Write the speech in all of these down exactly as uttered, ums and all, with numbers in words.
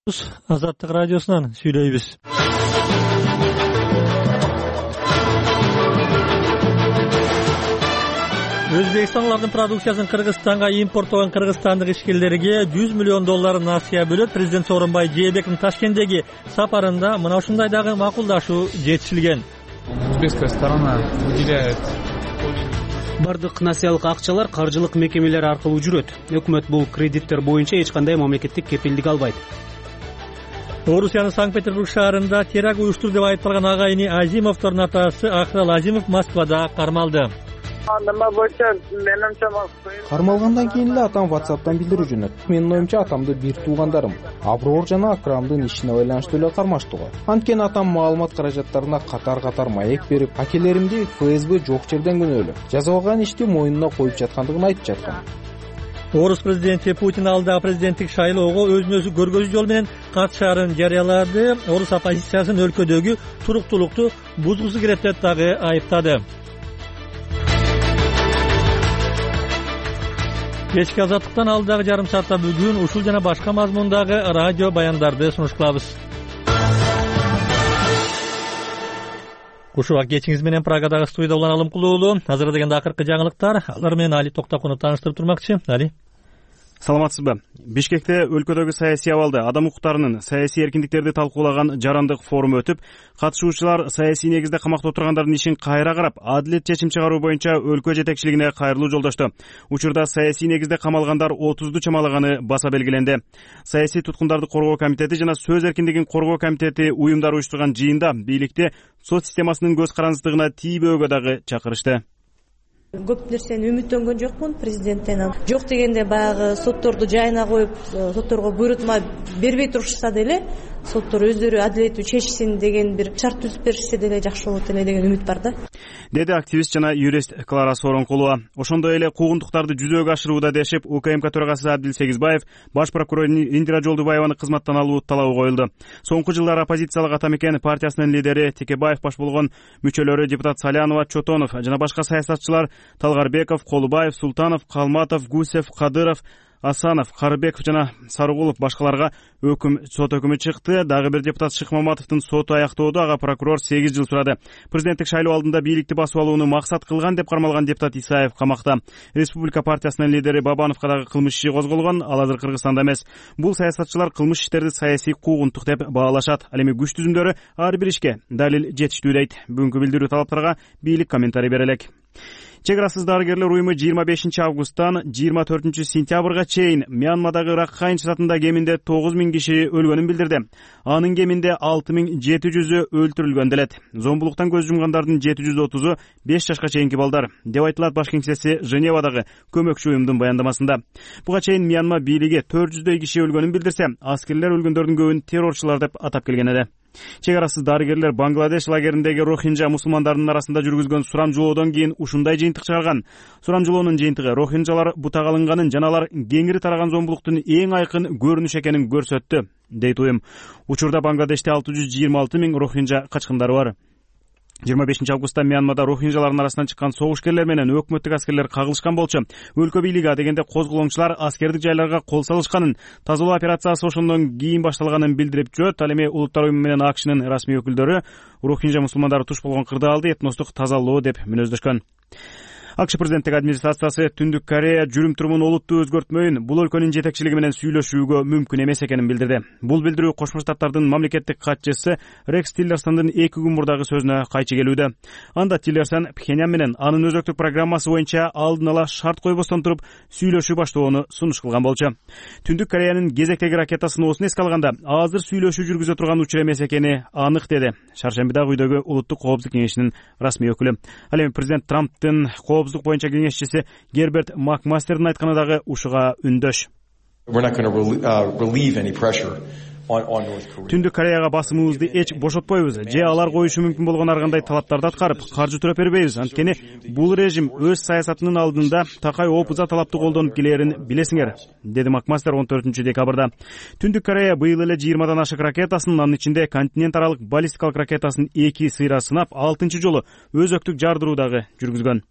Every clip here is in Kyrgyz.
Азаттык радиосунан сүйлөйбүз. Өзбекстандын продукциясын Кыргызстанга импорттогон кыргызстандык ишкерлерге жүз миллион доллар насыя бөлөт. Президент Сооронбай Жээнбековдун Ташкенттеги сапарында мына ушундай дагы макулдашуу жетишилген. Узбекская сторона выделяет бардык насыялык акчалар каржылык мекемелер аркылуу жүрөт. Өкмөт бул кредиттер боюнча эч кандай мамлекеттик кепилдик албайт. Орусиянын Санкт-Петербург шаарында теракт уюштурду деп айыпталган агайыны Азимовдордун атасы Акрал Азимов Москвада кармалды. Кармалгандан кийин эле атам WhatsApp'тан билдирүү жөнөттү. Менин оюмча атамды бир туугандарым Аброор жана Акрамдын ишине байланыштуу эле кармаштуу. Анткени атам маалымат каражаттарына катар-катар маек берип, акелеримди ФСБ жок жерден күнөөлөп, жазалган ишти мойнуна коюп жаткандыгын айтып жаткан. Орус президенти Путин алдагы президенттик шайлоого өзүн өзү көргөзүү жол менен катышаарын жарыялады. Орус оппозициясын өлкөдөгү туруктуулукту бузгусу келет деп дагы айыптады. Кечки азаттыктан алдагы жарым саатта бүгүн ушул жана башка мазмундагы радио баяндарды сунуш кылабыз. Кушубак кечиңиз менен Прагадагы студияда улан Алымкулуулу. Азыр дегенде акыркы жаңылыктар. Алар менен Али Токтакунов тааныштырып турмакчы. Али. Саламатсызбы? Бишкекте өлкөдөгү саясий абалды, адам укуктарынын, саясий эркиндиктерди талкуулаган жарандык форум өтүп, катышуучулар саясий негизде камакта отургандардын ишин кайра карап, адилет чечим чыгаруу боюнча өлкө жетекчилигине кайрылуу жолдошту. Учурда саясий негизде камалгандар отузду чамалаганы баса белгиленди. Саясий туткундарды коргоо комитети жана сөз эркиндигин коргоо комитети уюмдары уюштурган жыйында бийликти сот системасынын көз карандысыздыгына тийбөөгө дагы чакырышты. Көп нерсени үмүттөнгөн жокмун президенттен. Жок дегенде баягы сотторду жайына коюп, сотторго буйрутма бербей турушса деле, соттор өздөрү адилеттүү чечсин деген бир шарт түзүп беришсе деле жакшы болот эле деген үмүт бар да. Деди активист жана юрист Клара Сооронкулова. Ошондой эле куугунтуктарды жүзөгө ашырууда дешип, УКМК төрагасы Абдил Сегизбаев, баш прокурор Индира Жолдубаеваны кызматтан алуу талабы коюлду. Соңку жылдары оппозициялык Атамекен партиясынын лидери Текебаев баш болгон мүчөлөрү депутат Салянова, Чотонов жана башка саясатчылар Талгарбеков, Колубаев, Султанов, Калматов, Гусев, Кадыров, Асанов, Карыбеков жана Сарыгулов башкаларга өкүм сот өкүмү чыкты. Дагы бир депутат Шыкмаматовдун соту аяктоодо ага прокурор сегиз жыл сурады. Президенттик шайлоо алдында бийликти басып алууну максат кылган деп кармалган депутат Исаев камакта. Республика партиясынын лидери Бабановго дагы кылмыш иши козголгон, ал азыр Кыргызстанда эмес. Бул саясатчылар кылмыш иштерди саясий куугунтук деп баалашат. Ал эми күч түзүмдөрү ар бир ишке далил жетиштүү дейт. Бүгүнкү билдирүү талаптарга бийлик комментарий бере элек. Чек-арасыз дарыгерлер уюму жыйырма бешинчи августтан жыйырма төртүнчү сентябрга чейин Мьянмадагы Ракхайн штатында кеминде тогуз миң киши өлгөнүн билдирди. Анын кеминде алты миң жети жүзү өлтүрүлгөн делет. Зомбулуктан көз жумгандардын жети жүз отузу беш жашка чейинки балдар, деп айтылат баш кеңсеси Женевадагы көмөкчү уюмдун баяндамасында. Буга чейин Мьянма бийлиги төрт жүздөй киши өлгөнүн билдирсе, аскерлер өлгөндөрдүн көбүн террорчулар деп атап келген эле. Чек-арасыз дарыгерлер Бангладеш лагериндеги рохинжа мусулмандарынын арасында жүргүзгөн сурамжылоодон кийин ушундай жыйынтык чыгарган. Сурамжылоонун жыйынтыгы рохинжалар бутак алынганын жана алар кеңири тараган зомбулуктун эң айкын көрүнүш экенин көрсөттү, дейт уюм. Учурда Бангладеште алты жүз жыйырма алты миң рохинжа качкындары бар. жыйырма бешинчи августта Мьянмада рохинжалардын арасынан чыккан согушкерлер менен өкмөттүк аскерлер кагылышкан болчу. Өлкө бийлиги адегенде козголоңчулар аскердик жайларга кол салышканын, тазалоо операциясы ошондон кийин башталганын билдирип жүрөт. Ал эми Улуттар уюму менен АКШнын расмий өкүлдөрү рохинжа мусулмандары туш болгон кырдаалды этностук тазалоо деп мүнөздөшкөн. АКШ президенттик администрациясы Түндүк Корея жүрүм-турумун олуттуу өзгөртмөйүн, бул өлкөнүн жетекчилиги менен сүйлөшүүгө мүмкүн эмес экенин билдирди. Бул билдирүү Кошмо Штаттардын мамлекеттик катчысы Рекс Тиллерсондун эки күн мурдагы сөзүнө кайчы келүүдө. Анда Тиллерсон Пхеньян менен анын өзөктүк программасы боюнча алдын ала шарт койбостон туруп сүйлөшүү баштоону сунуш кылган болчу. Түндүк Кореянын кезектеги ракета сыноосун эске алганда, азыр сүйлөшүү жүргүзө турган учур эмес экени анык, деди Шаршембидагы үйдөгү Улуттук коопсуздук кеңешинин расмий өкүлү. Ал эми президент Трамптын коопсуздук боюнча кеңешчиси Герберт Макмастердин айтканы дагы ушуга үндөш. Түндүк Кореяга басымыбызды эч бошотпойбуз, же алар коюшу мүмкүн болгон ар кандай талаптарды аткарып, каржы төрөп бербейбиз. Анткени бул режим өз саясатынын алдында такай опуза талапты колдонуп келерин билесиңер, деди Макмастер он төртүнчү декабрда. Түндүк Корея быйыл эле жыйырмадан ашык ракетасын, анын ичинде континент аралык баллистикалык ракетасын эки сыйра сынап, алтынчы жолу өзөктүк жардыруу дагы жүргүзгөн.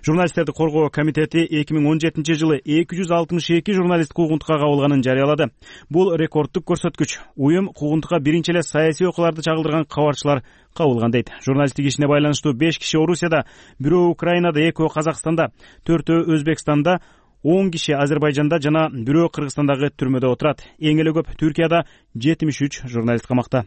Журналисттерди коргоо комитети эки миң он жетинчи жылы эки жүз алтымыш эки журналист куугунтукка кабылганын жарыялады. Бул рекорддук көрсөткүч. Уюм куугунтукка биринчи эле саясий окууларды чагылдырган кабарчылар кабылган дейт. Журналисттик ишине байланыштуу беш киши Орусияда, бирөө Украинада, экөө Казакстанда, төртөө Өзбекстанда, он киши Азербайжанда жана бирөө Кыргызстандагы түрмөдө отурат. Эң эле көп Түркияда жетимиш үч журналист камакта.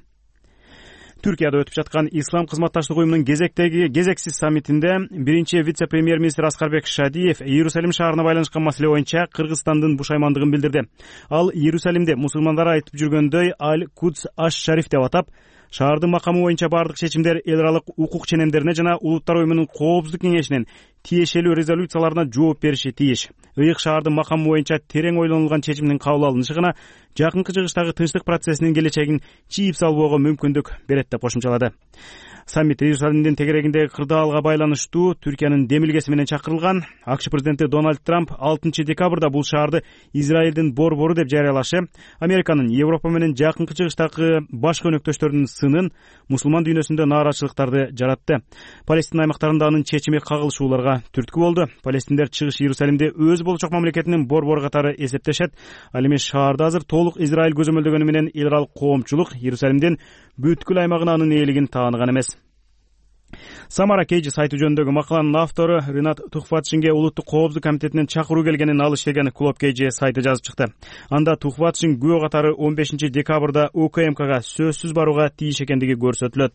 Түркияда өтүп жаткан Ислам кызматташтык уюмунун кезектеги кезексиз саммитинде биринчи вице-премьер-министр Аскарбек Шадиев Иерусалим шаарына байланышкан маселе боюнча Кыргызстандын бушаймандыгын билдирди. Ал Иерусалимди мусулмандар айтып жүргөндөй Аль-Кудс аш-Шариф деп атап, шаардын макамы боюнча бардык чечимдер эл аралык укук ченемдерине жана Улуттар уюмунун коопсуздук кеңешинин тиешелүү резолюцияларына жооп бериши тийиш. Ыйык шаардын макамы боюнча терең ойлонулган чечимдин кабыл алынышы гана жакынкы жыгыштагы тынчтык процессинин келечегин чийип салбоого мүмкүндүк берет деп кошумчалады. Саммит Иерусалимдин тегерегиндеги кырдаалга байланыштуу Түркиянын демилгеси менен чакырылган. АКШ президенти Дональд Трамп алтынчы декабрда бул шаарды Израилдин борбору деп жарыялашы, Американын Европа менен жакынкы жыгыштагы башка өнөктөштөрүнүн сынын, мусулман дүйнөсүндө нааразычылыктарды жаратты. Палестина аймактарында анын чечими кагылышууларга түрткү болду. Палестиндер чыгыш Иерусалимди өз болчок мамлекетинин борбору катары эсептешет. Ал эми шаарда азыр толук Израиль көзөмөлдөгөнү менен эл аралык коомчулук Иерусалимдин бүткүл аймагына анын ээлигин тааныган эмес. Самара Кейджи сайты жөнүндөгү макаланын автору Ринат Тухватшинге улуттук коопсуздук комитетинен чакыруу келгенин алыш деген Клуб Кейджи сайты жазып чыкты. Анда Тухватшин күбө катары он бешинчи декабрда УКМКга сөзсүз барууга тийиш экендиги көрсөтүлөт.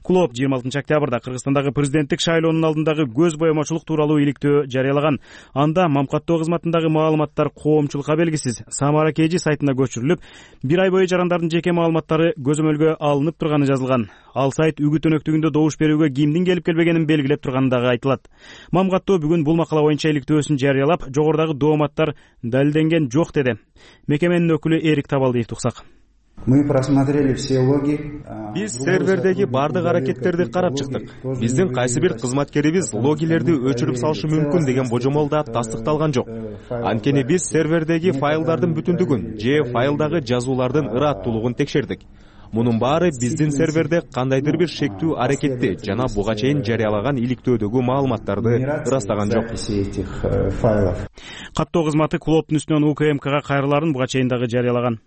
Клуб жыйырма алтынчы октябрда Кыргызстандагы президенттик шайлоонун алдындагы көз боемочулук тууралуу иликтөө жарыялаган. Анда мамкаттоо кызматындагы маалыматтар коомчулукка белгисиз Самара Кейджи сайтына көчүрүлүп, бир ай бою жарандардын жеке маалыматтары көзөмөлгө алынып турганы жазылган. Ал сайт үгүт өнөктүгүндө добуш берүүгө кимдин келип келбегенин белгилеп турганы дагы айтылат. Мамкаттоо бүгүн бул макала боюнча иликтөөсүн жарыялап, жогорудагы дооматтар далилденген жок деди. Мекеменин өкүлү Эрик Табалдиев туксак. Мы просмотрели все логи. Биз сервердеги бардык аракеттерди карап чыктык. Биздин кайсы бир кызматкерибиз логилерди өчүрүп салышы мүмкүн деген божомол да тастыкталган жок. Анткени биз сервердеги файлдардын бүтүндүгүн же файлдагы жазуулардын ырааттуулугун текшердик. Мунун баары биздин серверде кандайдыр бир шектүү аракетти жана буга чейин жарыялаган иликтөөдөгү маалыматтарды ырастаган жок. Каттоо кызматы клубтун үстүнөн УКМКга кайрыларын буга чейин дагы жарыялаган.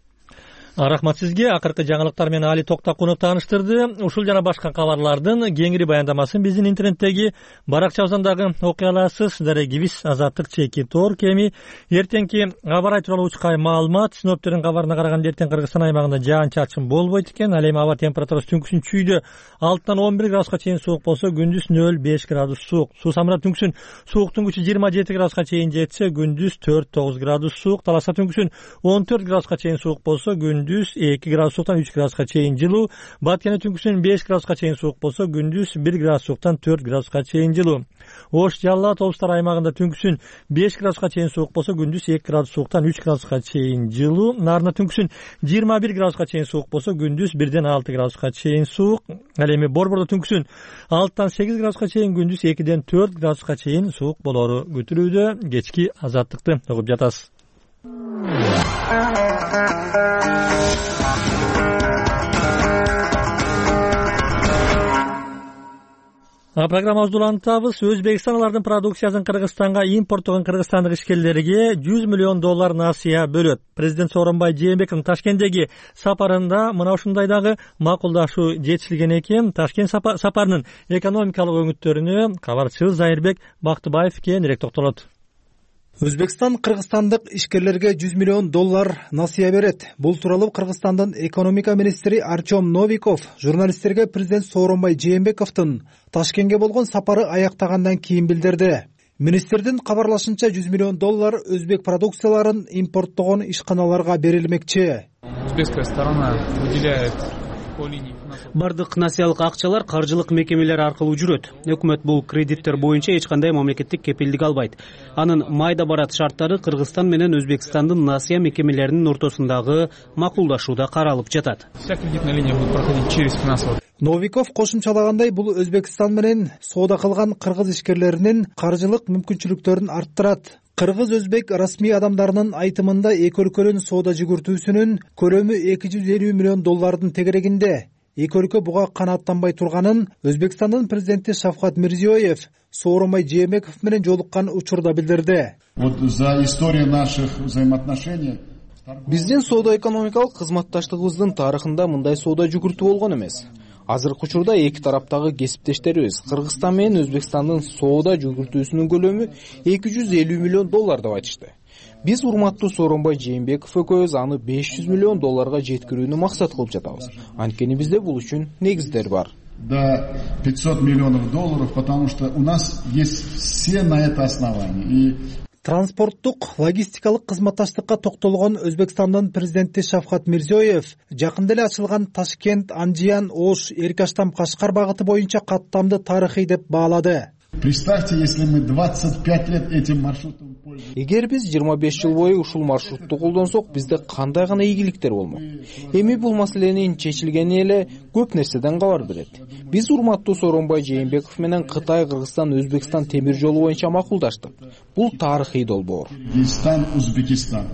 Рахмат сизге. Акыркы жаңылыктар менен Али Токтакунов тааныштырды. Ушул жана башка кабарлардын кеңири баяндамасын биздин интернеттеги баракчабыздан окуй аласыз. Дарегибиз Азаттык чеки тор кеми. Эртеңки аба ырайы тууралуу учкай маалымат. Синоптиктердин кабарына караганда эртең Кыргызстан аймагында жаан-чачын болбойт экен. Ал эми аба температурасы түнкүсүн чүйдө алтыдан он бир градуска чейин суук болсо, күндүз нөл беш градус суук. Суу Самара түнкүсүн сууктун күчү жыйырма жети градуска чейин жетсе, күндүз төрт тогуз градус суук. Таласа түнкүсүн он төрт градуска чейин суук болсо, күндүз эки градус сууктан үч градуска чейин жылуу. Баткене түнкүсүн беш градуска чейин суук болсо, күндүз бир градус сууктан төрт градуска чейин жылуу. Ош, Жалал Абад облустары аймагында түнкүсүн беш градуска чейин суук болсо, күндүз эки градус сууктан үч градуска чейин жылуу. Нарында түнкүсүн жыйырма бир градуска чейин суук болсо, күндүз бирден алты градуска чейин суук. Ал эми Борбордо түнкүсүн алтыдан сегиз градуска чейин, күндүз экиден төрт градуска чейин суук болору күтүлүүдө. Кечки азаттыкты угуп жатасыз. Программабызды улантабыз. Өзбекстан алардын продукциясын Кыргызстанга импорттогон кыргызстандык ишкерлерге жүз миллион доллар насыя бөлөт. Президент Сооронбай Жээнбековдун Ташкенттеги сапарында мына ушундайдагы макулдашуу жетишилген экен. Ташкент сапарынын экономикалык өңүттөрүнө кабарчыбыз Зайырбек Бактыбаев кенирээк токтолот. Өзбекстан кыргызстандык ишкерлерге жүз миллион доллар насыя берет. Бул тууралуу Кыргызстандын экономика министри Арчом Новиков журналисттерге президент Сооронбай Жээнбековдун Ташкентке болгон сапары аяктагандан кийин билдирди. Министрдин кабарлашынча жүз миллион доллар өзбек продукцияларын импорттогон ишканаларга берилмекчи. Өзбекская сторона выделяет бардык насыялык акчалар каржылык мекемелер аркылуу жүрөт. Өкмөт бул кредиттер боюнча эч кандай мамлекеттик кепилдик албайт. Анын майда барат шарттары Кыргызстан менен Өзбекстандын насыя мекемелеринин ортосундагы макулдашууда каралып жатат. Вся кредитная линия будет проходить через финансовый. Новиков кошумчалагандай, бул Өзбекстан менен соода кылган кыргыз ишкерлеринин каржылык мүмкүнчүлүктөрүн арттырат. Кыргыз-өзбек расмий адамдарынын айтымында эки өлкөнүн соода жүгүртүүсүнүн көлөмү эки жүз элүү миллион доллардын тегерегинде. эки өлкө буга канааттанбай турганын Өзбекстандын президенти Шавкат Мирзиёев Сооронбай Жээнбеков менен жолуккан учурда билдирди. Вот за историю наших взаимоотношений биздин соода-экономикалык кызматташтыгыбыздын тарыхында мындай соода жүгүртүү болгон эмес. Азыркы учурда эки тараптагы кесиптештерибиз Кыргызстан менен Өзбекстандын соода жүгүртүүсүнүн көлөмү эки жүз элүү миллион доллар деп айтышты. Биз урматтуу Сооронбай Жээнбеков экөөбүз аны беш жүз миллион долларга жеткирүүнү максат кылып жатабыз. Анткени бизде бул үчүн негиздер бар. До пятьсот миллионов долларов, потому что у нас есть все на это основания. И транспорттук логистикалык кызматташтыкка токтолгон Өзбекстандын президенти Шавкат Мирзиёев жакында эле ачылган Ташкент, Анжиян, Ош, Эркаштам, Кашкар багыты боюнча каттамды тарыхый деп баалады. Представьте, если мы двадцать пять лет этим маршрутом пользуемся. Эгер биз жыйырма беш жыл бою ушул маршрутту колдонсок, бизде кандай гана ийгиликтер болмок. Эми бул маселенин чечилгени эле көп нерседен кабар берет. Биз урматтуу Сооронбай Жээнбеков менен Кытай, Кыргызстан, Өзбекстан темир жолу боюнча макулдаштык. Бул тарыхый долбоор. Кыргызстан, Өзбекстан.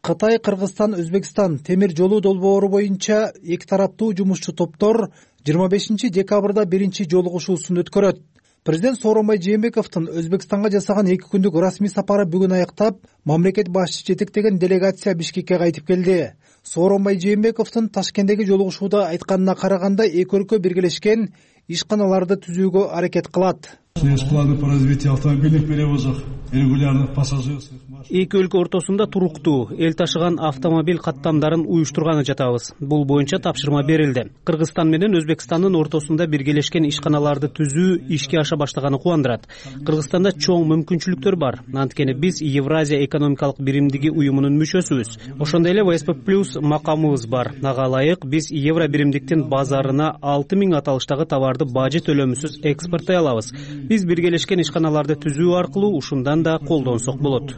Кытай, Кыргызстан, Өзбекстан темир жолу долбоору боюнча эки тараптуу жумушчу топтор жыйырма бешинчи декабрда биринчи жолугушуусун өткөрөт. Президент Сооронбай Жээнбековдун Өзбекстанга жасаган эки күндүк расмий сапары бүгүн аяктап, мамлекет башчысы жетектеген делегация Бишкекке кайтып келди. Сооронбай Жээнбековдун Ташкенттеги жолугушууда айтканына караганда, эки өлкө биргелешкен ишканаларды түзүүгө аракет кылат. Есть планы по развитию автомобильных перевозок, регулярных пассажирских машин. Эки өлкө ортосунда туруктуу эл ташыган автомобиль каттамдарын уюштурганы жатабыз. Бул боюнча тапшырма берилди. Кыргызстан менен Өзбекстандын ортосунда биргелешкен ишканаларды түзүү ишке аша баштаганы кубандырат. Кыргызстанда чоң мүмкүнчүлүктөр бар. Анткени биз Евразия экономикалык биримдиги уюмунун мүчөсүбүз. Ошондой эле вэ эс пэ плюс макамыбыз бар. Ага ылайык биз Евро биримдиктин базарына алты миң аталыштагы товарды бажы төлөмүсүз экспорттой алабыз. Биз биргелешкен ишканаларды түзүү аркылуу ушундан да колдонсок болот.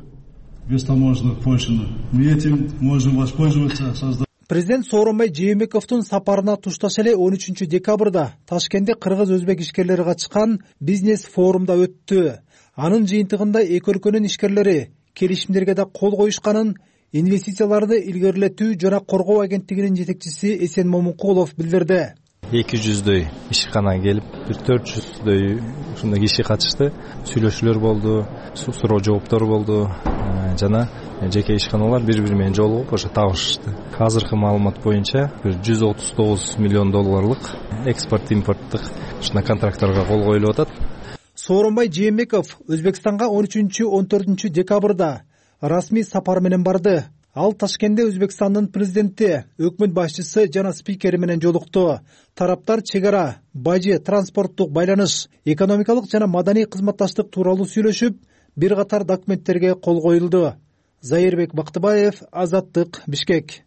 Без таможенных пошлин. Мы этим можем воспользоваться, создать. Президент Сооронбай Жээнбековдун сапарына тушташ эле он үчүнчү декабрда Ташкентте кыргыз-өзбек ишкерлери катышкан бизнес форумда өттү. Анын жыйынтыгында эки өлкөнүн ишкерлери келишимдерге да кол коюшканын инвестицияларды илгерилетүү жана коргоо агенттигинин жетекчиси Эсен Момункулов билдирди. эки жүздөй ишкана келип, бир төрт жүздөй ушундай киши катышты. Сүйлөшүүлөр болду, суроо жооптор болду жана жеке ишканалар бири-бири менен жолугуп ошо табышышты. Азыркы маалымат боюнча бир жүз отуз тогуз миллион долларлык экспорт импорттук ушундай контракттарга кол коюлуп атат. Сооронбай Жээнбеков Өзбекстанга он үчүнчү он төртүнчү декабрда расмий сапар менен барды. Ал Ташкентте Өзбекстандын президенти, өкмөт башчысы жана спикери менен жолукту. Тараптар чек ара, бажы, транспорттук байланыш, экономикалык жана маданий кызматташтык тууралуу сүйлөшүп, бир катар документтерге кол коюлду. Зайырбек Бактыбаев, Азаттык, Бишкек.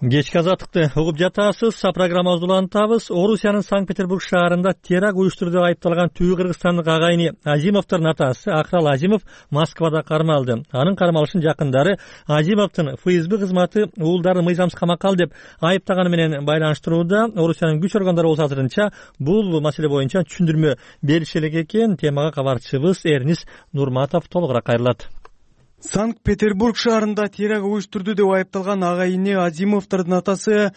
Кечки азаттыкты угуп жатасыз. Программабызды улантабыз. Орусиянын Санкт-Петербург шаарында теракт уюштурду деп айыпталган түү кыргызстандык агайыны Азимовдун атасы Акрал Азимов Москвада кармалды. Анын кармалышын жакындары Азимовдун эф эс бэ кызматы уулдарын мыйзамсыз камакка алды деп айыптаганы менен байланыштырууда. Орусиянын күч органдары болсо азырынча бул маселе боюнча түшүндүрмө бериши элек экен. Темага кабарчыбыз Эрнис Нурматов толугураак кайрылат. Санкт-Петербург шаарында теракт уюштурду деп айыпталган агайыны Азимовдун атасы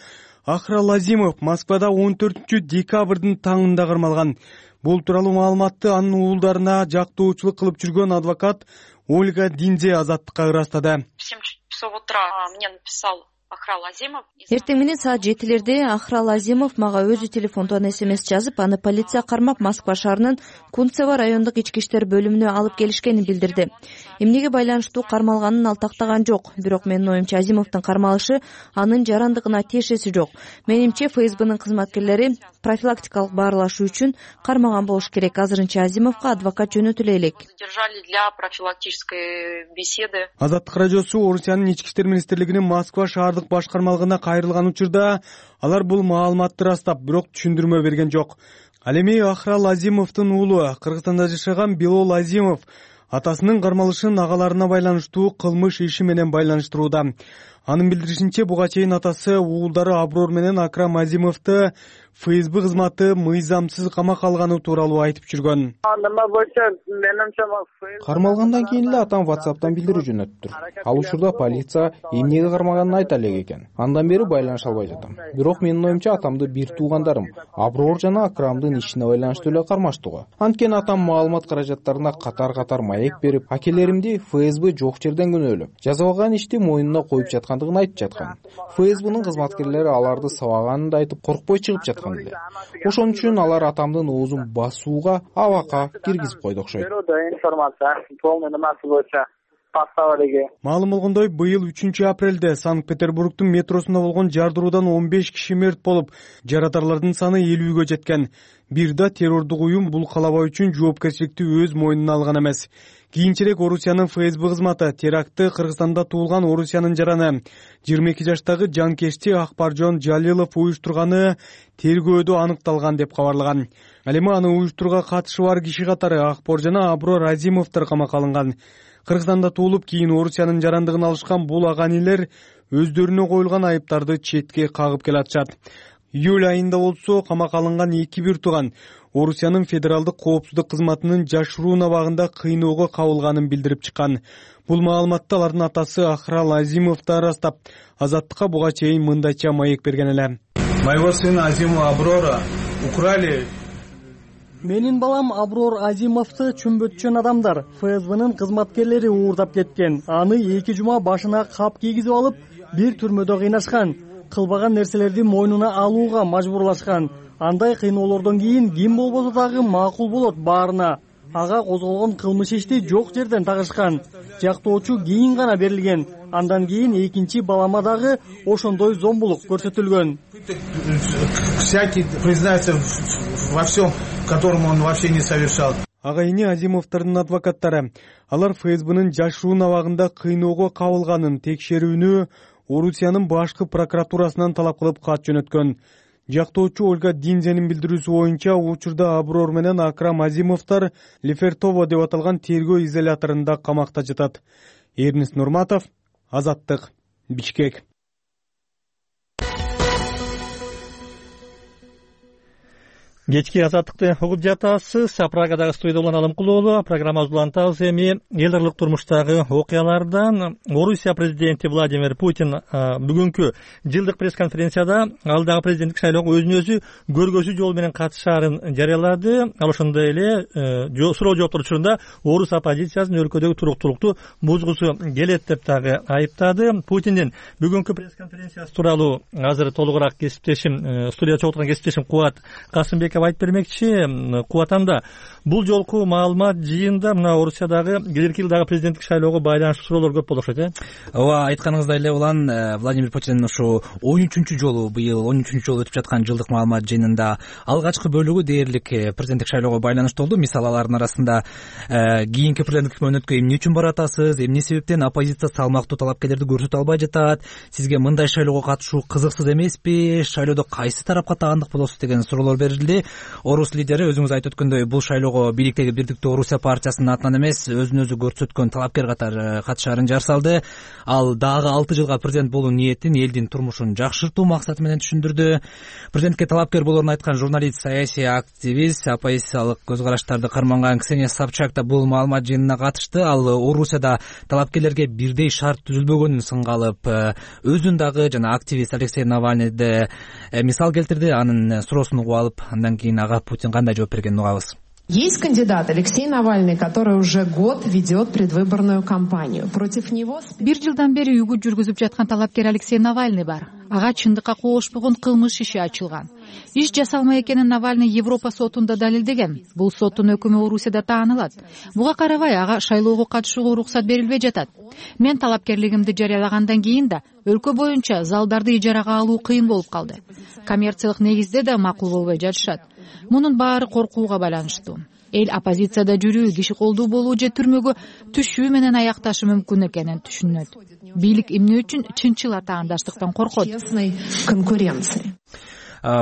Акрал Азимов Москвада он төртүнчү декабрдын таңында кармалган. Бул тууралуу маалыматты анын уулдарына жактоочулук кылып жүргөн адвокат Ольга Динзе Азаттыкка ырастады. В семь часов утра мне написал Акрал Азимов. Эртең менен саат жетилерде Акрал Азимов мага өзү телефондон эс эм эс жазып, аны полиция кармап Москва шаарынын Кунцево райондук ички иштер бөлүмүнө алып келишкенин билдирди. Эмнеге байланыштуу кармалганын ал тактаган жок. Бирок менин оюмча Азимовдун кармалышы анын жарандыгына тиешеси жок. Менимче эф эс бэнин кызматкерлери профилактикалык баарлашуу үчүн кармаган болуш керек. Азырынча Азимовго адвокат жөнөтүлө элек. Задержали для профилактической беседы. Азаттык радиосу Орусиянын ички иштер министрлигинин Москва шаардык башкармалыгына кайрылган учурда алар бул маалыматты ырастап, бирок түшүндүрмө берген жок. Ал эми Акрал Азимовдун уулу Кыргызстанда жашаган Билол Азимов атасынын кармалышын агаларына байланыштуу кылмыш иши менен байланыштырууда. Анын билдиришинче, буга чейин атасы уулдары Аброр менен Акрам Азимовду ФСБ кызматы мыйзамсыз камакка алганы тууралуу айтып жүргөн. Кармалгандан кийин эле атам WhatsApp'тан билдирүү жөнөттүр. Ал учурда полиция эмнеге кармаганын айта элек экен. Андан бери байланыша албай жатам. Бирок менин оюмча атамды бир туугандарым Аброр жана Акрамдын ишине байланыштуу эле кармаштуу. Анткени атам маалымат каражаттарына катар-катар маек берип, акелеримди ФСБ жок жерден күнөөлөп, жазалган ишти мойнуна коюп жаткандыгын айтып жаткан. ФСБнын кызматкерлери аларды сабаганын да айтып коркпой чыгып жаткан эле. Ошон үчүн алар атамдын оозун басууга, абакка киргизип койду окшойт. Маалым болгондой, быйыл үчүнчү апрелде Санкт-Петербургдун метросунда болгон жардыруудан он беш киши мерт болуп, жаратарлардын саны элүүгө жеткен. Бир да террордук уюм бул калабаа үчүн жоопкерчиликти өз мойнуна алган эмес. Кийинчерээк Орусиянын ФСБ кызматы терактты Кыргызстанда туулган Орусиянын жараны жыйырма эки жаштагы жанкечти Акбаржон Жалилов уюштурганы тергөөдө аныкталган деп кабарлаган. Ал эми аны уюштурууга катышы бар киши катары Акбор жана Аброр Азимовдор камакка алынган. Кыргызстанда туулуп, кийин Орусиянын жарандыгын алышкан бул аганилер өздөрүнө коюлган айыптарды четке кагып келатышат. Июль айында болсо камакка алынган эки бир тууган Орусиянын федералдык коопсуздук кызматынын жашыруун абагында кыйноого кабылганын билдирип чыккан. Бул маалыматты алардын атасы Ахрал Азимов да ырастап, Азаттыкка буга чейин мындайча маек берген эле. Моего сына Азима Аброра украли. Менин балам Аброр Азимовду чүмбөтчөн адамдар ФСБнын кызматкерлери уурдап кеткен. Аны эки жума башына кап кийгизип алып, бир түрмөдө кыйнашкан. Кылбаган нерселерди мойнуна алууга мажбурлашкан. Андай кыйноолордон кийин ким болбосо дагы макул болот баарына. Ага козголгон кылмыш ишти жок жерден тагышкан. Жактоочу кийин гана берилген. Андан кийин экинчи балама дагы ошондой зомбулук көрсөтүлгөн. Всякий признается во всем, которому он вообще не совершал. Агайыны Азимовдордун адвокаттары алар ФСБнын жашыруун абагында кыйноого кабылганын текшерүүнү Орусиянын башкы прокуратурасынан талап кылып кат жөнөткөн. Жактоочу Ольга Динзенин билдирүүсү боюнча учурда Аброр менен Акрам Азимовдор Лефертово деп аталган тергөө изоляторунда камакта жатат. Эрнис Нурматов, Азаттык, Бишкек. Кечки Азаттыкты угуп жатасыз. Прагадагы студияда улан Алымкулоолу. Программабызды улантабыз. Эми эл аралык турмуштагы окуялардан Орусия президенти Владимир Путин бүгүнкү жылдык пресс-конференцияда алдагы президенттик шайлоого өзүн өзү көргөзүү жол менен катышаарын жарыялады. Ал ошондой эле суроо жооптор учурунда орус оппозициясынын өлкөдөгү туруктуулукту бузгусу келет деп дагы айыптады. Путиндин бүгүнкү пресс-конференциясы тууралуу азыр толугураак кесиптешим, студияда чогулткан кесиптешим Кубат Касымбек айтып бермекчи. Кубатанда бул жолку маалымат жыйында мына Орусиядагы келерки жылдагы президенттик шайлоого байланыштуу суроолор көп болуп окшойт, э? Ооба, айтканыңыздай эле улан, Владимир Путин ушу он үчүнчү жолу быйыл он үчүнчү жолу өтүп жаткан жылдык маалымат жыйынында алгачкы бөлүгү дээрлик президенттик шайлоого байланыштуу болду. Мисалы, алардын арасында кийинки президенттик мөөнөткө эмне үчүн баратасыз, эмне себептен оппозиция салмактуу талапкерлерди көрсөтө албай жатат, сизге мындай шайлоого катышуу кызыксыз эмеспи, шайлоодо кайсы тарапка таандык болосуз деген суроолор берилди. Орус лидери өзүңүз айтып өткөндөй бул шайлоого бийликтеги Бирдиктүү Орусия партиясынын атынан эмес, өзүн өзү көрсөткөн талапкер катары катышаарын жар салды. Ал дагы алты жылга президент болуу ниетин элдин турмушун жакшыртуу максаты менен түшүндүрдү. Президентке талапкер болоорун айткан журналист, саясий активист, оппозициялык көз караштарды карманган Ксения Собчак да бул маалымат жыйынына катышты. Ал Орусияда талапкерлерге бирдей шарт түзүлбөгөнүн сынга алып, өзүн дагы жана активист Алексей Навальныйды мисал келтирди. Анын суроосун угуп алып, андан кийин ага Путин кандай жооп бергенин угабыз. Есть кандидат Алексей Навальный, который уже год ведет предвыборную кампанию. Против него... Бир жылдан бери үгүт жүргүзүп жаткан талапкер Алексей Навальный бар. Ага чындыкка коошпогон кылмыш иши ачылган. Иш жасалмай экенин Навальный Европа сотунда далилдеген. Бул соттун өкүмү Орусияда таанылат. Буга карабай ага шайлоого катышууга уруксат берилбей жатат. Мен талапкерлигимди жарыялагандан кийин да өлкө боюнча залдарды ижарага алуу кыйын болуп калды. Коммерциялык негизде да макул болбой жатышат. Мунун баары коркууга байланыштуу. Эл оппозицияда жүрүү, киши колдуу болуу же түрмөгө түшүү менен аякташы мүмкүн экенин түшүнөт. Бийлик эмне үчүн чынчыл атаандаштыктан коркот? Конкуренции.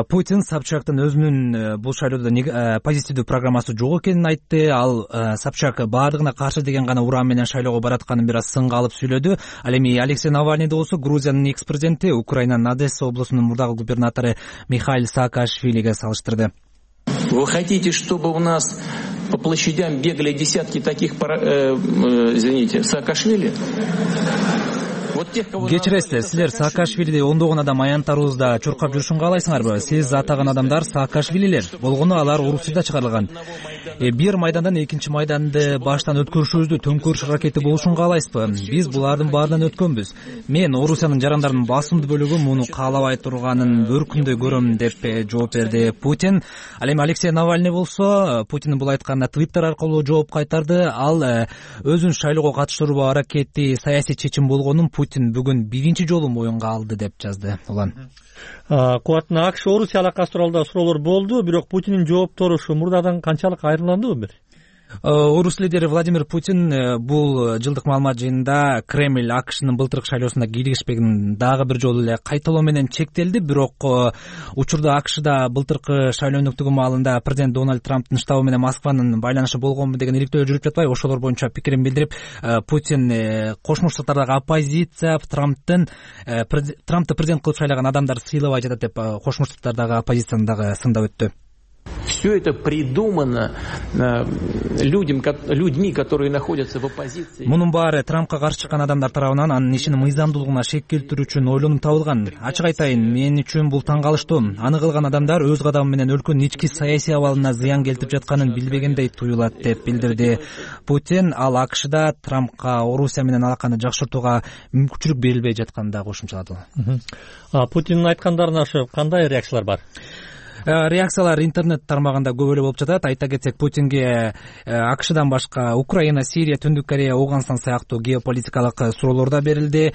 Путин Собчактын өзүнүн бул шайлоодо позитивдүү программасы жок экенин айтты. Ал Собчак баардыгына каршы деген гана уран менен шайлоого баратканын бир аз сынга алып сүйлөдү. Ал эми Алексей Навальныйды болсо Грузиянын экс президенти Украинанын Одесса облусунун мурдагы губернатору Михаил Саакашвилиге салыштырды. Вы хотите, чтобы у нас по площадям бегали десятки таких, э, э, извините, Саакашвили? Кечиресиздер, силер Саакашвилиди ондогон адам аянттарыбызда чуркап жүрүшүн каалайсыңарбы? Сиз атаган адамдар Саакашвилилер. Болгону алар Орусияда чыгарылган. Э, бир майдандан экинчи майданды баштан өткөрүшүбүздү төңкөрүш аракети болушун каалайсызбы? Биз булардын баарынан өткөнбүз. Мен Орусиянын жарандарынын басымдуу бөлүгү муну каалабай турганын бөркүндөй көрөм деп жооп берди Путин. Ал эми Алексей Навальный болсо Путиндин бул айтканына Твиттер аркылуу жооп кайтарды. Ал өзүн шайлоого катыштыруу аракети саясий чечим болгонун Путин бүгүн биринчи жолу моюнга алды деп жазды. Улан Кубатына АКШ Орусия алакасы тууралуу да суроолор болду, бирок Путиндин жооптору ушу мурдадан канчалык айырмаландыбы бир? Орус лидери Владимир Путин бул жылдык маалымат жыйынында Кремль АКШнын былтыркы шайлоосунда кийлигишпегин дагы бир жолу эле кайталоо менен чектелди. Бирок учурда АКШда былтыркы шайлоо өнүктүгү маалында президент Дональд Трамптын штабы менен Москванын байланышы болгонбу деген иликтөө жүрүп жатпайбы? Ошолор боюнча пикирин билдирип, Путин Кошмо Штаттардагы оппозиция Трамптын Трамптты президент кылып шайлаган адамдар сыйлабай жатат деп Кошмо Штаттардагы оппозицияны дагы сындап өттү. Все это придумано людям, людьми, которые находятся в оппозиции. Мунун баары Трампка каршы чыккан адамдар тарабынан анын ишинин мыйзамдуулугуна шек келтирүү үчүн ойлонуп табылган. Ачык айтайын, мен үчүн бул таң калыштуу. Аны кылган адамдар өз кадамы менен өлкөнүн ички саясий абалына зыян келтирип жатканын билбегендей туюлат деп билдирди Путин. Ал АКШда Трампка Орусия менен алаканы жакшыртууга мүмкүнчүлүк берилбей жатканын да кошумчалады. Путиндин айткандарына ошо кандай реакциялар бар? Реакциялар интернет тармагында көп эле болуп жатат. Айта кетсек, Путинге АКШдан башка Украина, Сирия, Түндүк Корея, Ооганстан сыяктуу геополитикалык суроолор да берилди.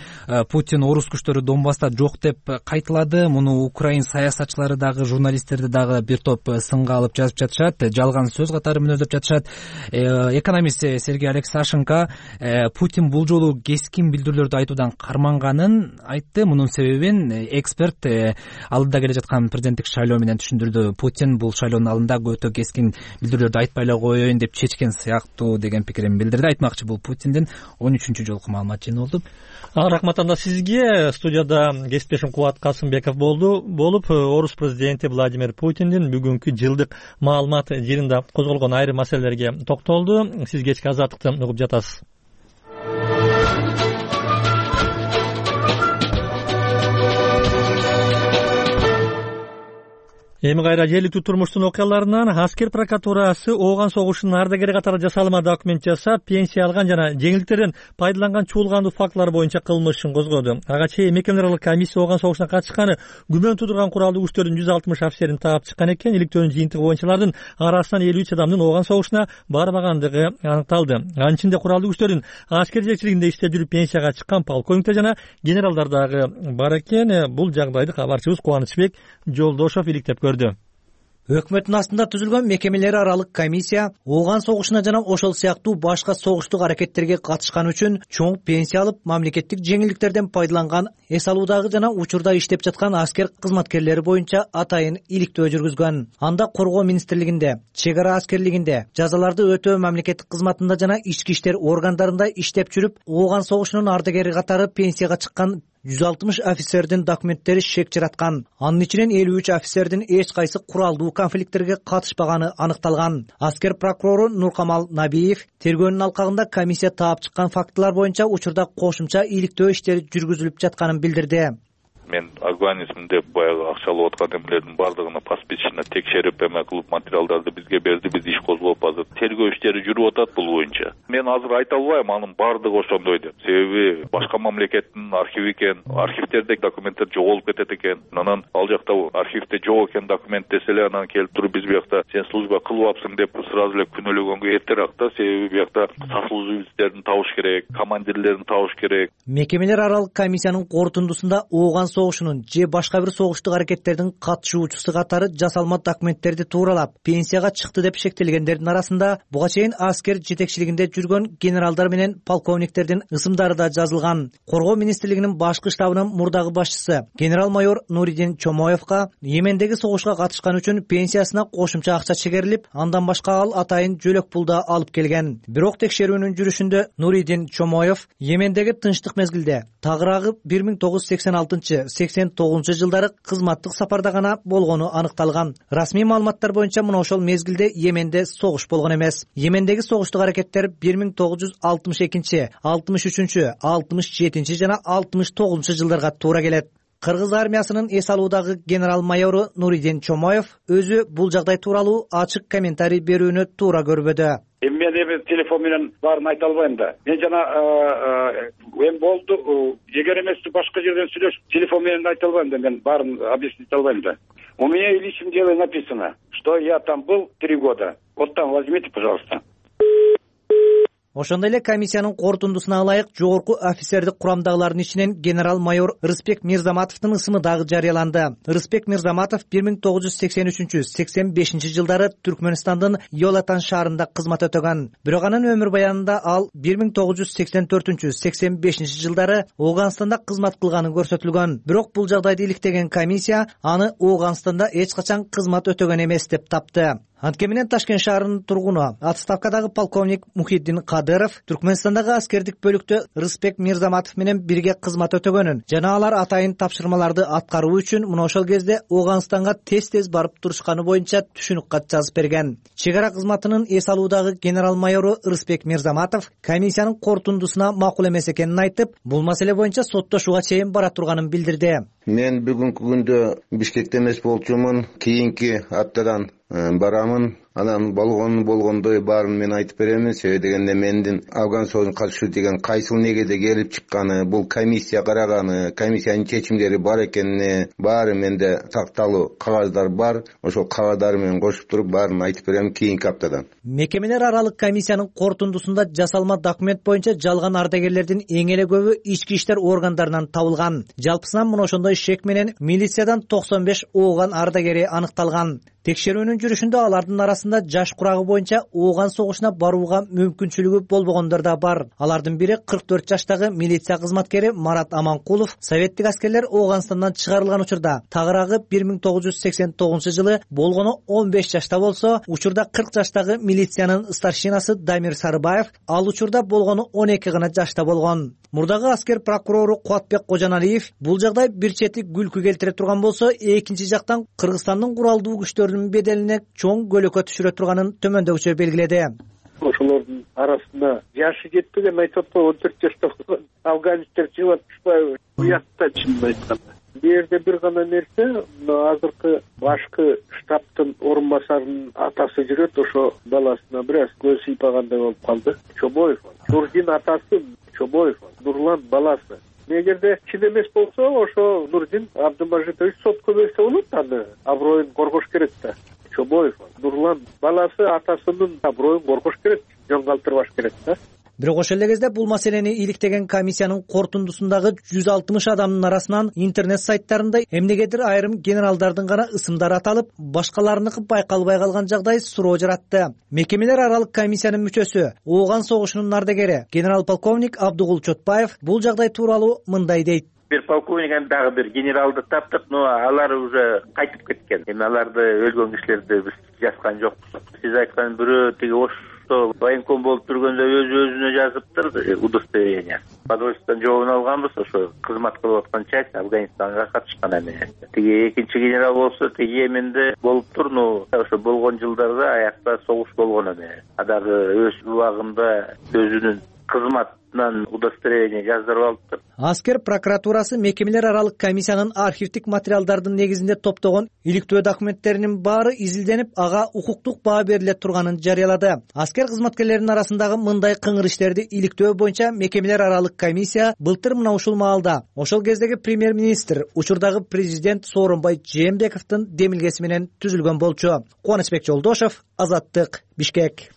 Путин орус күчтөрү Донбасста жок деп кайталады. Муну украин саясатчылары дагы, журналисттерди дагы бир топ сынга алып жазып жатышат. Жалган сөз катары мүнөздөп жатышат. Экономист Сергей Алексашенко Путин бул жолу кескин билдирүүлөрдү айтуудан карманганын айтты. Мунун себебин эксперт алдыда келе жаткан президенттик шайлоо менен Путин бул шайлоонун алдында өтө кескин билдирүүлөрдү айтпай эле коеюн деп чечкен сыяктуу деген пикирин билдирди. Айтмакчы, бул Путиндин он үчүнчү жолку маалымат жыйыны болду. Рахмат анда сизге. Студияда кесиптешим Кубат Касымбеков болду. Болуп, Орус президенти Владимир Путиндин бүгүнкү жылдык маалымат жыйынында козголгон айрым маселелерге токтолду. Сиз кечки азаттыкты угуп жатасыз. Эми кайра жергиликтүү турмуштун окуяларынан аскер прокуратурасы Ооган согушунун ардагери катары жасалма документ жасап, пенсия алган жана жеңилдиктерден пайдаланган чуулгандуу фактылар боюнча кылмыш ишин козгоду. Ага чейин мекемелер аралык комиссия Ооган согушуна катышканы күмөн туудурган куралдуу күчтөрдүн жүз алтымыш офицерин таап чыккан экен. Иликтөөнүн жыйынтыгы боюнча алардын арасынан элүү үч адамдын Ооган согушуна барбагандыгы аныкталды. Анын ичинде куралдуу күчтөрдүн аскер жетекчилигинде иштеп жүрүп пенсияга чыккан полковниктер жана генералдар дагы бар экен. Бул жагдайды кабарчыбыз Кубанычбек Жолдошов иликтеп көрдү. Өкмөттүн астында түзүлгөн мекемелер аралык комиссия Ооган согушуна жана ошол сыяктуу башка согуштук аракеттерге катышкан үчүн чоң пенсия алып, мамлекеттик жеңилдиктерден пайдаланган, эс алуудагы жана учурда иштеп жаткан аскер кызматкерлери боюнча атайын иликтөө жүргүзгөн. Анда Коргоо министрлигинде, чек ара аскерлигинде, жазаларды өтөө мамлекеттик кызматында жана ички иштер органдарында иштеп жүрүп, Ооган согушунун ардагери катары пенсияга чыккан жүз алтымыш офицердин документтери шек жараткан. Анын ичинен элүү үч офицердин эч кайсы куралдуу конфликттерге катышпаганы аныкталган. Аскер прокурору Нуркамал Набиев тергөөнүн алкагында комиссия таап чыккан фактылар боюнча учурда кошумча иликтөө иштери жүргүзүлүп жатканын билдирди. Мен организм деп баягы акчалап аткан эмелердин бардыгына паспортчуна текшерип эме кылып материалдарды бизге берди. Биз иш козгоп азыр тергөө иштери жүрүп атат бул боюнча. Мен азыр айта албайм анын бардыгы ошондой деп. Себеби башка мамлекеттин архиви экен, архивдерде документтер жоголуп кетет экен. Анан ал жакта архивде жок экен документ десе эле анан келип туруп биз биякта сен служба кылбапсың деп сразу эле күнөөлөгөнгө эртерээк да. Себеби биякта сослуживецтерин табыш керек, командирлерин табыш керек. Мекемелер аралык комиссиянын корутундусунда Ооган согушунун же башка бир согуштук аракеттердин катышуучусу катары жасалма документтерди тууралап пенсияга чыкты деп шектелгендердин арасында буга чейин аскер жетекчилигинде жүргөн генералдар менен полковниктердин ысымдары да жазылган. Коргоо министрлигинин башкы штабынын мурдагы башчысы генерал-майор Нуридин Чомоевго Йемендеги согушка катышкан үчүн пенсиясына кошумча акча чегерилип, андан башка ал атайын жөлөк пул да алып келген. Бирок текшерүүнүн жүрүшүндө Нуридин Чомоев Йемендеги тынчтык мезгилде тагыраагы бир миң тогуз жүз сексен алтынчы — сексен тогузунчу жылдары кызматтык сапарда гана болгону аныкталган. Расмий маалыматтар боюнча мына ошол мезгилде Йеменде согуш болгон эмес. Йемендеги согуштук аракеттер бир миң тогуз жүз алтымыш экинчи, алтымыш үчүнчү, алтымыш жетинчи жана алтымыш тогузунчу жылдарга туура келет. Кыргыз армиясынын эс алуудагы генерал-майору Нуридин Чомоев өзү бул жагдай тууралуу ачык комментарий берүүнү туура көрбөдү. Эми мен эми телефон менен баарын айта албайм да. Мен жана эми болду, эгер эмес башка жерден сүйлөшүп телефон менен айта албайм да, мен баарын объяснить албайм да. У меня в личном деле написано, что я там был три года. Вот там возьмите, пожалуйста. Ошондой эле комиссиянын корутундусуна ылайык жогорку офицердик курамдагылардын ичинен генерал-майор Рыспек Мирзаматовдун ысымы дагы жарыяланды. Рыспек Мирзаматов бир миң тогуз жүз сексен үчүнчү — сексен бешинчи жылдары Түркмөнстандын Йолатан шаарында кызмат өтөгөн. Бирок анын өмүр баянында ал бир миң тогуз жүз сексен төртүнчү — сексен бешинчи жылдары Ооганстанда кызмат кылганы көрсөтүлгөн. Бирок бул жагдайды иликтеген комиссия аны Ооганстанда эч качан кызмат өтөгөн эмес деп тапты. Анткени менен Ташкент шаарынын тургуну отставкадагы полковник Мухиддин Кадыров Түркмөнстандагы аскердик бөлүктө Рыспек Мирзаматов менен бирге кызмат өтөгөнүн жана алар атайын тапшырмаларды аткаруу үчүн мына ошол кезде Ооганстанга тез-тез барып турушканы боюнча түшүнүк кат жазып берген. Чек ара кызматынын эс алуудагы генерал-майору Рыспек Мирзаматов комиссиянын корутундусуна макул эмес экенин айтып, бул маселе боюнча соттошууга чейин бара турганын билдирди. Мен бүгүнкү күндө Бишкекте эмес болчумун, кийинки аптадан барамын. Анан болгон болгондой баарын мен айтып беремин. Себеби дегенде мендин Афган согушуна катышуу деген кайсыл негеде келип чыкканы, бул комиссия караганы, комиссиянын чечимдери бар экенине баары менде такталуу кагаздар бар. Ошол кагаздары менен кошуп туруп баарын айтып берем кийинки аптадан. Мекемелер аралык комиссиянын корутундусунда жасалма документ боюнча жалган ардагерлердин эң эле көбү ички иштер органдарынан табылган. Жалпысынан мына ошондой шек менен милициядан токсон беш Ооган ардагери аныкталган. Текшерүүнүн жүрүшүндө алардын арасында жаш курагы боюнча Ооган согушуна барууга мүмкүнчүлүгү болбогондор да бар. Алардын бири кырк төрт жаштагы милиция кызматкери Марат Аманкулов. Советтик аскерлер Ооганстандан чыгарылган учурда тагыраагы бир миң тогуз жүз сексен тогузунчу жылы болгону он беш жашта болсо, учурда кырк жаштагы милициянын старшинасы Дамир Сарыбаев ал учурда болгону он эки гана жашта болгон. Мурдагы аскер прокурору Кубатбек Кожаналиев бул жагдай бир чети күлкү келтире турган болсо, экинчи жактан Кыргызстандын куралдуу күчтөрүнүн беделине чоң көлөкө түшүрө турганын төмөндөгүчө белгиледи. Ошолордун арасында жашы жетпеген айтып атпайбы, он төрт жашта болгон афганистер чыгып атышпайбы? Уятта чынын айтканда. Бул жерде бир гана нерсе, азыркы башкы штабтын орун басарынын атасы жүрөт, ошо баласына бир аз көз сыйпагандай болуп калды. Чобоев. Нурдин атасы Чобоев, Нурлан баласы. Эгерде чын эмес болсо, ошо Нурдин Абдымажитович сотко берсе болот, аны аброюн коргош керек да. Чобоев, Нурлан баласы атасынын аброюн коргош керек, жөн калтырбаш керек да. Бирок ошол эле кезде бул маселени иликтеген комиссиянын корутундусундагы жүз алтымыш адамдын арасынан интернет сайттарында эмнегедир айрым генералдардын гана ысымдары аталып, башкаларыныкы байкалбай калган жагдай суроо жаратты. Мекемелер аралык комиссиянын мүчөсү, Ооган согушунун ардагери генерал-полковник Абдугул Чотбаев бул жагдай тууралуу мындай дейт. Бир полковник дагы бир генералды таптык, но алар уже кайтып кеткен. Эми аларды өлгөн кишилерди биз жазган жокпуз. Сиз айткан бирөө тиги Ошто военком болуп жүргөндө өз өзүнө жазыптыр удостоверение. Подвойстводон жообун алганбыз, ошо кызмат кылып аткан часть Афганистанга катышкан эми. Тиги экинчи генерал болсо тиги Йеменде болуптур, но ошо болгон жылдарда аякта согуш болгон эми. А дагы өз убагында өзүнүн кызматынан удостоверение жаздырып алыптыр. Аскер прокуратурасы мекемелер аралык комиссиянын архивдик материалдардын негизинде топтогон иликтөө документтеринин баары изилденип, ага укуктук баа бериле турганын жарыялады. Аскер кызматкерлеринин арасындагы мындай кыңыр иштерди иликтөө боюнча мекемелер аралык комиссия былтыр мына ушул маалда ошол кездеги премьер-министр, учурдагы президент Сооронбай Жээнбековдун демилгеси менен түзүлгөн болчу. Кубанычбек Жолдошев, Азаттык, Бишкек.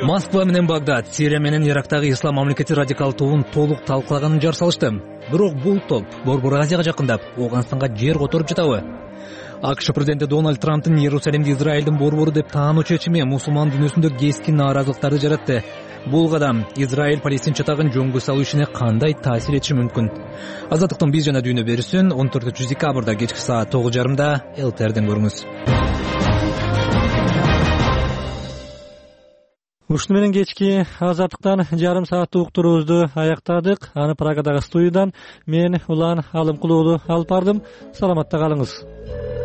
Москва менен Багдад Сирия менен Ирактагы ислам мамлекети радикал тобун толук талкылаганын жар салышты. Бирок бул топ Борбор Азияга жакындап, Ооганстанга жер которуп жатабы? АКШ президенти Дональд Трамптын Иерусалимди Израилдин борбору деп таануу чечими мусулман дүйнөсүндө кескин нааразылыктарды жаратты. Бул кадам Израиль Палестин чатагын жөнгө салуу ишине кандай таасир этиши мүмкүн? Азаттыктын биз жана дүйнө берүүсүн он төртүнчү декабрда кечки саат тогуз жарымда эл тэ эрден көрүңүз. Ушуну менен кечки Азаттыктан жарым сааттык уктуруубузду аяктадык. Аны Прагадагы студиядан мен Улан Алымкулуулу алып бардым. Саламатта калыңыз.